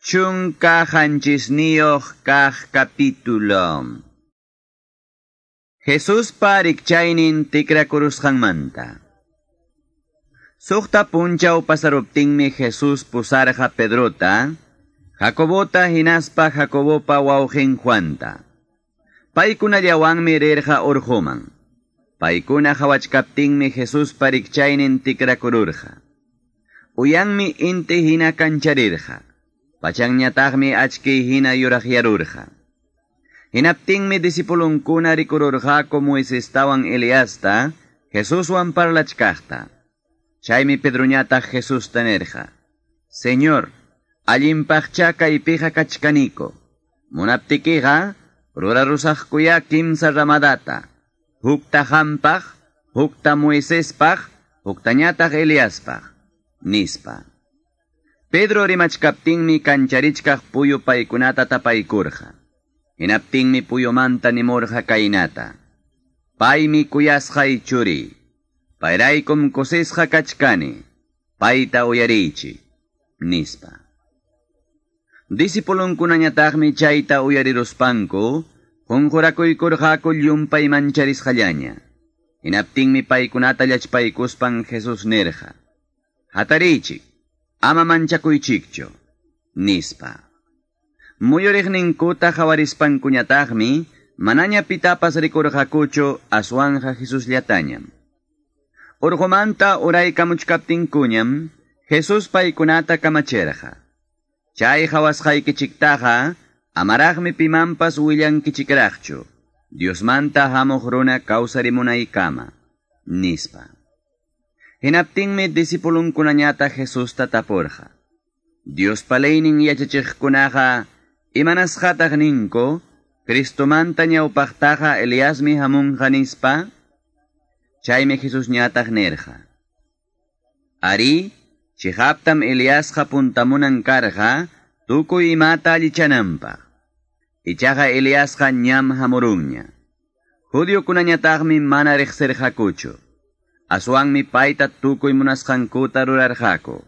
17 kaq capítulo. Jesuspa rikchaynin tikrakurusqanmanta. Suqta punchaw pasaruptinmi Jesús pusarqa Pedrota, Jacobota hinaspa Jacobopa wawqin Juanta. Paykunallawanmi rirqa urquman. Paykuna qhawachkaptinmi Jesuspa rikchaynin tikrakururqa. Uyanmi inti hina kancharirqa. Pachanñataqmi achkiy hina yuraqyarurqa. Hinaptinmi disipulunkuna rikururqaku Moisestawan Eliasta, Jesuswan parlachkaqta. Chaymi Pedroñataq Jesusta nirqa: Señor, allinpaqcha kaypiqa kachkaniko. Munaptikiqa rurarusaqkuya kimsa ramadata. Hukta qampaq, hukta Moisespaq, huktañataq Eliaspaq, nispa. Pedro rimachkaptinmi kancharichkaq puyu paykunata tapaykurqa. Hinaptinmi puyumanta nimurqa kaynata: Paymi kuyasqay churiy. Payraykum kusisqa kachkani. Payta uyariychik, nispa. Disipulunkunañataqmi chayta uyariruspanku, qunqurakuykurqaku llumpay mancharisqallaña. Hinaptinmi paykunata llachpaykuspan Jesús nirqa: Hatariychik, ama manchakuychikchu, nispa. Muyuriqninkuta qawarispankuñataqmi manaña pitapas rikurqakuchu aswanja Jesusllatañam. Urqumanta uraykamuchkaptinkuñam Jesús paykunata kamachirqa: Chay qhawasqaykichiktaqa amaraqmi pimanpas willankichikraqchu, Diosmanta hamuq runa kawsarimunaykama, nispa. Hinaptinmi disipulunkunañataq Jesusta tapurqa: Diospa leynin yachachiqkunaqa imanasqataq ninku, Cristomanta ñawpaqtaqa Eliasmi hamunqa, nispa? Chaymi Jesusñataq nirqa: Ari, chiqaptam Eliasqa puntamunan karqa tukuy imata allichananpaq. Ichaqa Eliasqa ñam hamurunña. Judiokunañataqmi mana riqsirqakuchu. Aswanmi payta tukuy munasqankuta rurarqaku.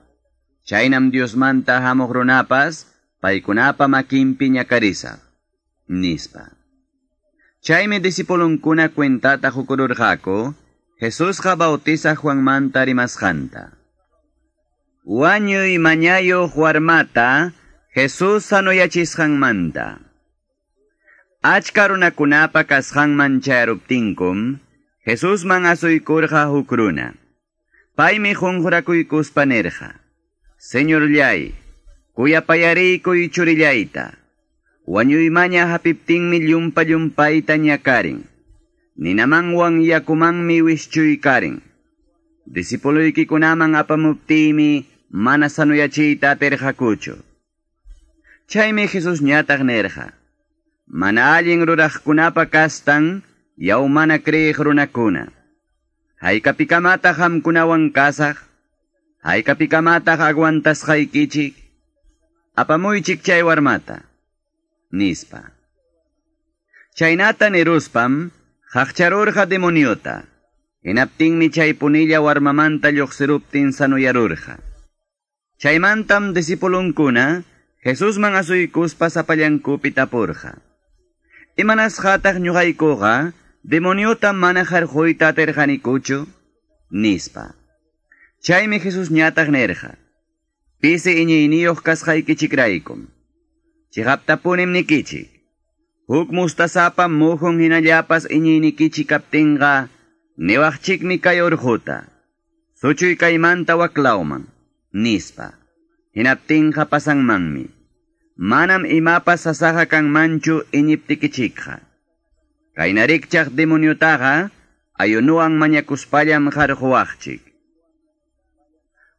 Chaynam Diosmanta hamuq runapas paykunapa makinpi ñakarisaq, nispa. Chaymi disipulunkuna cuentata qukururqaku Jesusqa bautizaq Juanmanta rimasqanta. Wañuy mañayuq warmata Jesús sanuyachisqanmanta. Achka runakunapa kasqanman chayaruptinkum, Jesusman asuykurqa huk runa. Paymi qunqurakuykuspa nirqa: Señorllay, kuyapayariykuy churillayta. Wañuymaña hapiptinmi llumpa llumpayta ñakarin. Ninamanwan yakumanmi wischuykarin. Disipuluykikunaman apamuptiymi mana sanuyachiyta atirqakuchu. Chaymi Jesusñataq nirqa: Mana allin ruraqkunapa kastan, yaw mana kriyiq runakuna. Haykapikamataq qamkunawan kasaq? Haykapikamataq aguantasqaykichik? Apamuychik chay warmata, nispa. Chaynata niruspam qaqcharurqa demoniota. Hinaptinmi chay punilla warmamanta lluqsiruptin sanuyarurqa. Chaymantam disipulunkuna Jesusman asuykuspa sapallankupi tapurqa: Imanasqataq ñuqaykuqa demoniota mana qarquyta atirqanikuchu, nispa. Chaymi Jesusñataq nirqa: Pisi iñiyniyuq kasqaykichikraykum. Chiqaptapunim nikichik, huk mustasapa muhun hinallapas iñiynikichik kaptinqa niwaqchikmi kay urquta: Suchuy kaymanta waklawman, nispa. Hinaptinqa pasanmanmi. Manam imapas sasaqa kanmanchu iñiptikichikqa. Kaynarikchaq demoniotaqa ayunuwan mañakuspallam qarquwaqchik.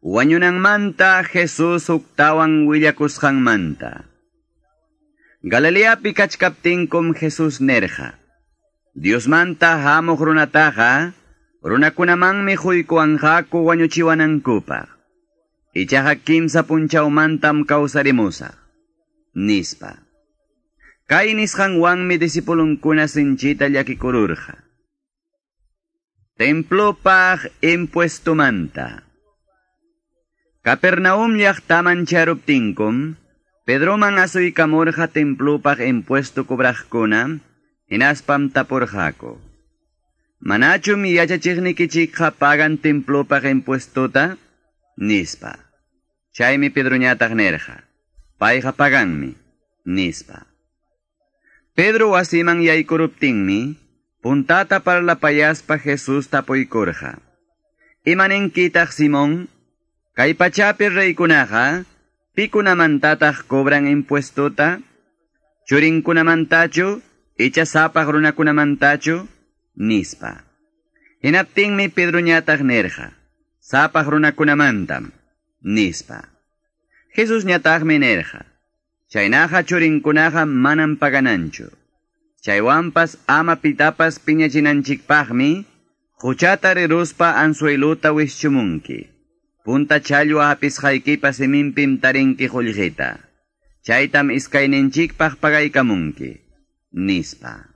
Wañunanmanta Jesús huktawan willakusqanmanta. Galileapi kachkaptinkum Jesús nirqa: Diosmanta hamuq runataqa runakunamanmi quykuwanqaku wañuchiwanankupaq. Ichaqa kimsa punchawmantam kawsarimusaq, nispa. Kay nisqanwanmi disipulunkuna sinchita llakikururqa. Templopaq impuestomanta. Capernaum llaqtaman charuptinkum, Pedroman asuykamurqa templupaq impuesto cobraqkuna, hinaspam tapurqaku. Manachum yachachiqnikichikqa pagan templupaq impuestota? Nispa. Chaymi Pedroñataq nirqa. Payqa paganmi, nispa. Pedro wasiman yaykuruptinmi, puntata parlapayaspa Jesús tapuykurqa. Imaninkitaq Simón? Kay pachapi reykunaqa, pikunamantataq cobran impuestota? Churinkunamantachu, icha sapaq runakunamantachu? Nispa. Hinaptinmi Pedroñataq nirqa, sapaq runakunamantam, nispa. Jesus ñataqmi nirqa, chaynaqa churinkunaqa manam pagananchu. Chaywanpas ama pitapas piñachinanchikpaqmi, huchata riruspa anzueluta wischumunki. Punta challwa hapisqaykipa siminpim tarinki qullqita. Chaytam iskayninchikpaq pagaykamunki, nispa.